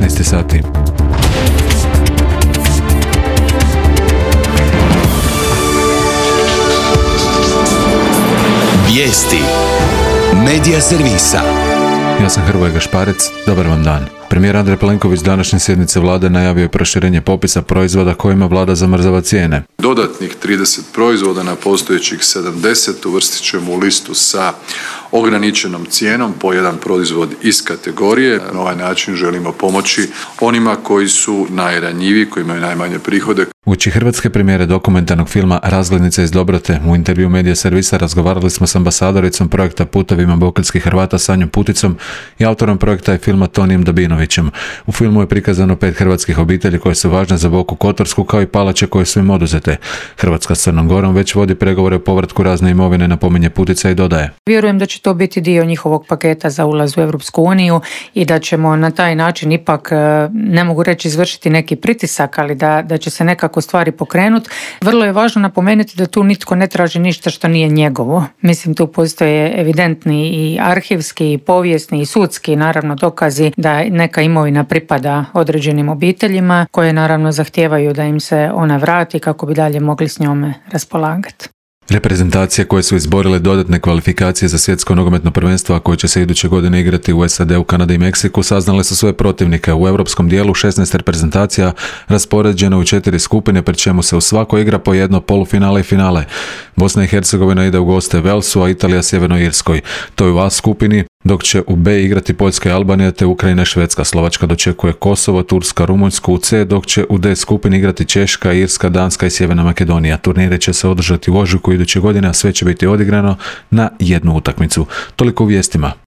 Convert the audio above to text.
15 sati. Vijesti Medija servisa. Ja sam Hrvoje Gašparec, dobar vam dan. Premijer Andrej Plenković današnje sjednice vlade najavio je proširenje popisa proizvoda kojima vlada zamrzava cijene. Dodatnih 30 proizvoda na postojećih 70 uvrstit ćemo u listu sa ograničenom cijenom po jedan proizvod iz kategorije. Na ovaj način želimo pomoći onima koji su najranjiviji, koji imaju najmanje prihode. Uoči hrvatske premijere dokumentarnog filma Razglednica iz Dobrote u intervju Medija servisa razgovarali smo s ambasadoricom projekta Putovima bokeljskih Hrvata Sanjom Puticom i autorom projekta i filma Tonijem Dabinovićem. U filmu je prikazano 5 hrvatskih obitelji koje su važne za Boku Kotorsku kao i palače koje su im oduzete. Hrvatska s Crnom Gorom već vodi pregovore o povratku razne imovine, napominje Putica i dodaje. Vjerujem da će to biti dio njihovog paketa za ulaz u Europsku uniju i da ćemo na taj način ipak, ne mogu reći izvršiti neki pritisak, ali da će se nekako stvari pokrenuti. Vrlo je važno napomenuti da tu nitko ne traži ništa što nije njegovo. Mislim, tu postoje evidentni i arhivski, i povijesni, i sudski, naravno, dokazi da neka imovina pripada određenim obiteljima koje naravno zahtijevaju da im se ona vrati kako bi dalje mogli s njome raspolagati. Reprezentacije koje su izborile dodatne kvalifikacije za svjetsko nogometno prvenstvo, a koje će se iduće godine igrati u SAD-u, Kanadi i Meksiku, saznale su svoje protivnike. U europskom dijelu 16 reprezentacija raspoređeno u 4 skupine, pri čemu se u svakoj igra po jedno polufinale i finale. Bosna i Hercegovina ide u goste Velsu, a Italija Sjevernoj Irskoj. To je u A skupini, dok će u B igrati Poljska i Albanija te Ukrajina i Švedska. Slovačka dočekuje Kosovo, Turska, Rumunjsku u C, dok će u D skupini igrati Češka, Irska, Danska i Sjeverna Makedonija. Turnire će se održati u ožujku iduće godine, a sve će biti odigrano na jednu utakmicu. Toliko u vijestima.